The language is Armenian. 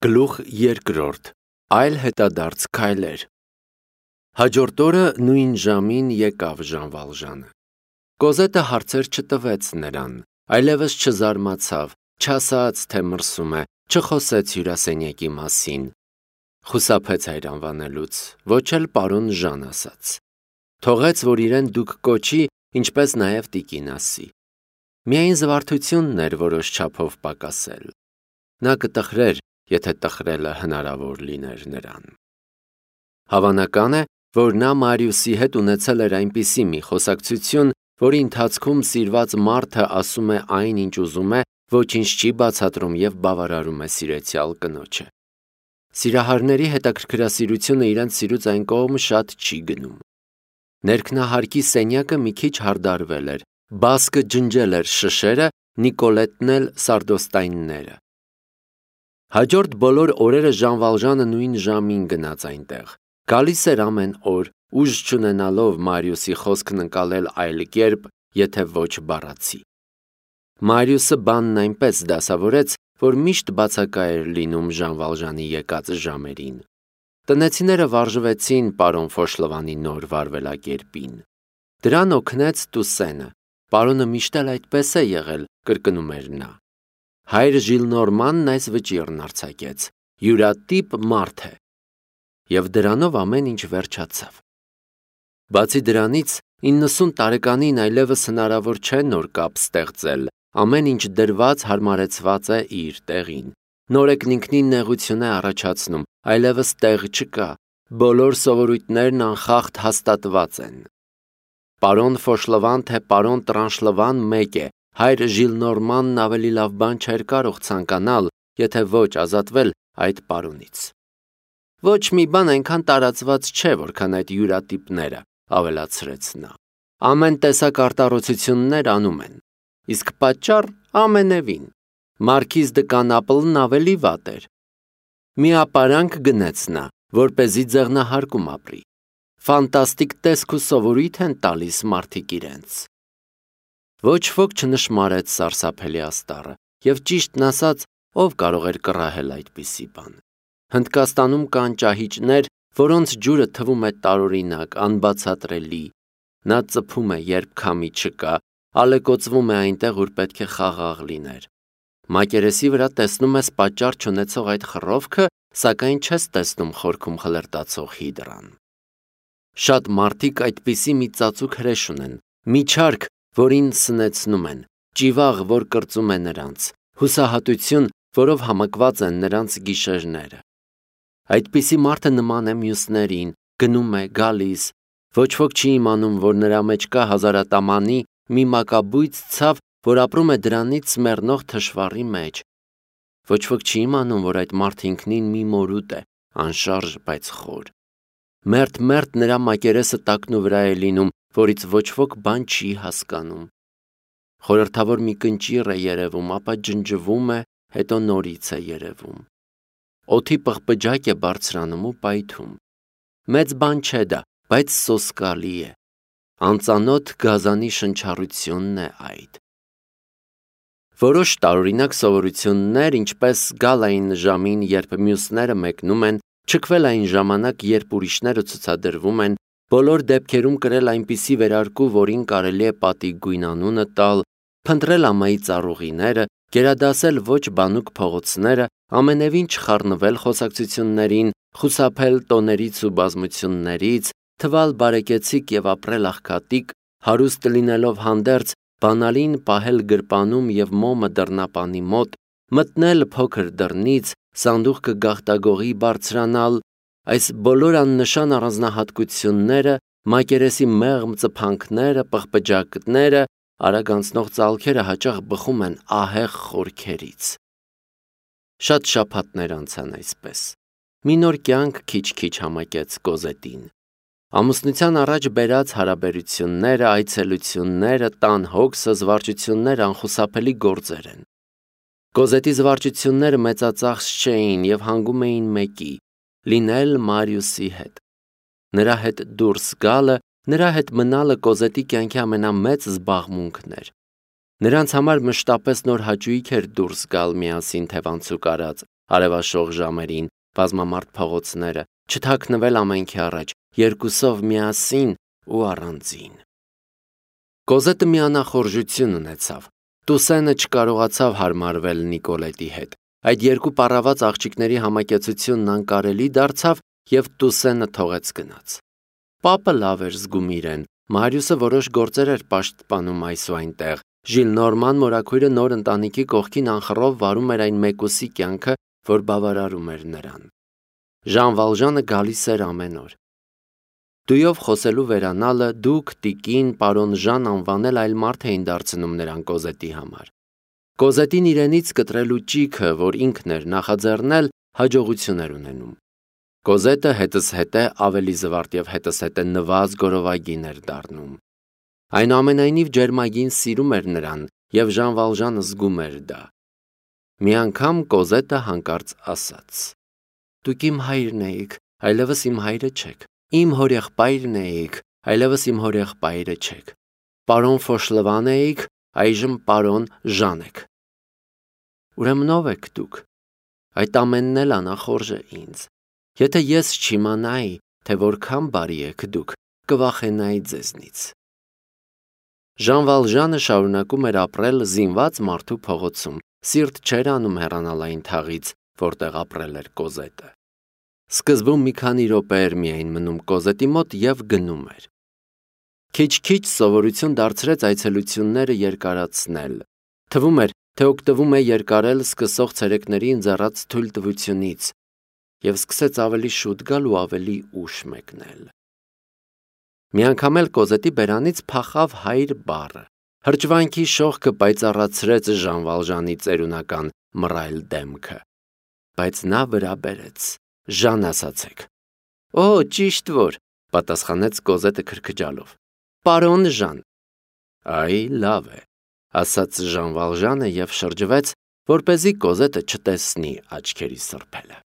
Գլուխ երկրորդ, այլ հետադարձ քայլեր։ Հաջորդ օրը նույն ժամին եկավ Ժան Վալժանը։ Կոզետը հարցեր չտվեց նրան, այլևս չզարմացավ, չասաց, թե մրսում է, չխոսեց հյուրասենյակի մասին։ Խուսափեց հայր անվանելուց, ոչ էլ պարոն Ժան ասաց։ Թողեց, որ իրեն դուք կոչի, ինչպես նաև տիկին ասի։ Միայն զվարթությունն էր որոշ չափով պակասել։ Նա կտխրեր, եթե տխրելը հնարավոր լիներ նրան։ Հավանական է, որ նա Մարիուսի հետ ունեցել էր այնպիսի մի խոսակցություն, որի ընթացքում սիրված մարդը ասում է այն, ինչ ուզում է, ոչինչ չի բացատրում և բավարարում է սիրեցյալ կնոջը։ Սիրահարների հետաքրքրասիրությունը իրենց սիրուց այն կողմ շատ չի գնում։ Ներքնահարկի սենյակը մի քիչ հարդարվել էր, բասկը ջնջել էր շշերը, Նիկոլետն էլ սարդոստայնները։ Հաջորդ բոլոր օրերը Ժան Վալժանը նույն ժամին գնաց այնտեղ, գալիս էր ամեն օր, ուժ չունենալով Մարիուսի խոսքն ընկալել այլ կերպ, եթե ոչ բառացի։ Մարիուսը բանն այնպես դասավորեց, որ միշտ բացակա էր լինում Ժան Վալժանի եկած ժամերին։ Տնեցիները վարժվեցին պարոն Ֆոշլովանի նոր վարվելակերպին։ Դրան օգնեց Տուսենը։ Պարոնը միշտ էլ այդպես է եղել, կրկնում էր նա։ Հայր Ժիլնորմանն այս վճիռն արձակեց, յուրատիպ մարդ է։ Եվ դրանով ամեն ինչ վերջացավ։ Բացի դրանից, 90 տարեկանին այլևս հնարավոր չէ նոր կապ ստեղծել, ամեն ինչ դրված հարմարեցված է իր տեղին։ Նորեկն ինքնին նեղություն է առաջացնում, այլևս տեղ չկա, բոլոր սովորույթներն անխախտ հաստատված են։ Պարոն Ֆոշլովան թե պարոն Տրանշլվան մեկ է, հայր Ժիլնորմանն ավելի լավ բան չէր կարող ցանկանալ, եթե ոչ ազատվել այդ պարոնից։ Ոչ մի բան այնքան տարածված չէ, որքան այդ յուրատիպները, ավելացրեց նա։ Ամեն տեսակ արտառոցություններ անում են։ Իսկ պատճառ ամենևին։ Մարքիզ դը Կանապլն ավելի վատ էր։ Մի ապարանք գնեց նա, որպեսզի ձեղնահարկում ապրի։ Ֆանտաստիկ տեսք ու սովորույթ են տալիս մարդիկ իրենց։ Ոչ ոք չնշմարեց սարսափելի աստառը, և ճիշտն ասած, ով կարող էր կռահել այդպիսի բան։ Հնդկաստանում կան ճահիճներ, որոնց ջուրը թվում է տարօրինակ, անբացատրելի։ Նա ծփում է, երբ քամի չկա, ալեկոծվում է այնտեղ, ուր պետք է խաղաղ լիներ։ Մակերեսի վրա տեսնում ես պատճառ չունեցող այդ խռովքը, սակայն չես տեսնում խորքում խլրտացող հիդրան։ Շատ մարդիկ այդպիսի մի ծածուկ հրեշ ունեն, մի չարք, որին սնեցնում են, ճիվաղ, որ կրծում է նրանց, հուսահատություն, որով համակված են նրանց գիշերները։ Այդպիսի մարդը նման է մյուսներին, գնում է, գալիս, ոչ ոք չի իմանում, որ նրա մեջ կա հազարատամանի մի մակաբույծ ցավ, որ ապրում է դրանից մեռնող թշվառի մեջ։ Ոչ ոք չի իմանում, որ այդ մարդը ինքնին մի մորուտ է, անշարժ, բայց խոր։ Մերթ նրա մակերեսը տակնու վրա է լինում, որից ոչ ոք բան չի հասկանում։ Խորհրդավոր մի կնճիռ է երևում, ապա ջնջվում է, հետո նորից է երևում։ Օդի պղպջակ է բարձրանում ու պայթում։ Մեծ բան չէ դա, բայց սոսկալի է։ Անծանոթ գազանի շնչառությունն է այդ։ Որոշ տարօրինակ սովորություններ, ինչպես գալ այն ժամին, երբ մյուսները մեկնում են, չքվել այն ժամանակ, երբ ուրիշները ցուցադրվում են, բոլոր դեպքերում կրել այնպիսի վերարկու, որին կարելի է պատի գույն անունը տալ, փնտրել ամայի ծառուղիները, գերադասել ոչ բանուկ փողոցները, ամենևին չխառնվել խոսակցություններին, խուսափել տոներից ու բազմություններից, թվալ բարեկեցիկ և ապրել աղքատիկ, հարուստ լինելով հանդերձ, բանալին պահել գրպանում և մոմը դռնապանի մոտ, մտնել փոքր դռնից, սանդուղքը գաղտագողի բարձրանալ, այս բոլոր աննշան առանձնահատկությունները, մակերեսի մեղմ ծփանքները, պղպջակները, արագ անցնող ծալքերը հաճախ բխում են ահեղ խորքերից։ Շատ շաբաթներ անցան այսպես։ Մի նոր կյանք քիչ-քիչ համակեց Կոզետին։ Ամուսնության առաջ բերած հարաբերությունները, այցելությունները, տան հոգսը, զվարճությունները անխուսափելի գործեր են։ Կոզետի զվարճությունները մեծածախս չէին և հանգում էին մեկի՝ լինել Մարիուսի հետ։ Նրա հետ դուրս գալը, նրա հետ մնալը Կոզետի կյանքի ամենամեծ զբաղմունքն էր։ Նրանց համար մշտապես նոր հաճույք էր դուրս գալ միասին թևանցուկ արած, արևաշող ժամերին, բազմամարդ փողոցները, չթաքնվել ամենքի առաջ, երկուսով միասին ու առանձին։ Կոզետը մի անախորժություն ունեցավ։ Տուսենը չկարողացավ հարմարվել Նիկոլետի հետ։ Այդ երկու պառաված աղջիկների համակեցությունն անկարելի դարձավ և Տուսենը թողեց գնաց։ Պապը լավ էր զգում իրեն, Մարիուսը որոշ գործեր էր պաշտպանում այս ու այնտեղ, Ժիլնորման մորաքույրը նոր ընտանիքի կողքին անխռով վարում էր այն մեկուսի կյանքը, որ բավարարում էր նրան։ Ժան Վալժանը գալիս էր ամեն օր։ Դույով խոսելու վերանալը դուք, տիկին, պարոն Ժան անվանել այլ մարդ էին դարձնում նրան Կոզետի համար։ Կոզետին իրենից կտրելու ճիգը, որ ինքն էր նախաձեռնել, հաջողություն էր ունենում։ Կոզետը հետզհետե ավելի զվարթ և հետզհետե նվազ գորովագին էր դառնում։ Այնուամենայնիվ ջերմագին սիրում էր նրան, և Ժան Վալժանը զգում էր դա։ Մի անգամ Կոզետը հանկարծ ասաց. «Դուք իմ հայրն էիք, այլևս իմ հայրը չեք։ Իմ հորեղբայրն էիք, այլևս իմ հորեղբայրը չեք։ Պարոն Ֆոշլվան էիք, այժմ պարոն Ժան եք։ Ուրեմն ով եք դուք։ Այդ ամենն էլ անախորժ է ինձ։ Եթե ես չիմանայի, թե որքան բարի եք դուք, կվախենայի ձեզնից»։ Ժան Վալժանը շարունակում էր ապրել զինված մարդու փողոցում, սիրտ չէր անում հեռանալ այն թաղից, որտեղ ապրել էր Կոզետը։ Սկզբում մի քանի րոպե էր միայն մնում Կոզետի մոտ և գնում էր։ Քիչ-քիչ սովորություն դարձրեց այցելությունները երկարացնել։ Թվում էր, թե օգտվում է երկարել սկսող ցերեկների ընձեռած թույլտվությունից և սկսեց ավելի շուտ գալ ու ավելի ուշ մեկնել։ Մի անգամ էլ Կոզետի բերանից փախավ հայր բառը։ Հրճվանքի շողքը պայծառացրեց Ժան Վալժանի ծերունական մռայլ դեմքը։ Բայց նա վրա բերեց. «Ժան ասացեք»։ «Օ, ճիշտ որ», պատասխանեց Կոզետը քրքջալով։ «Պարոն Ժան»։ «Այ, լավ է», ասաց Ժան Վալժանը և շրջվեց, որպեսզի Կոզետը չտեսնի աչքերի սրբելը։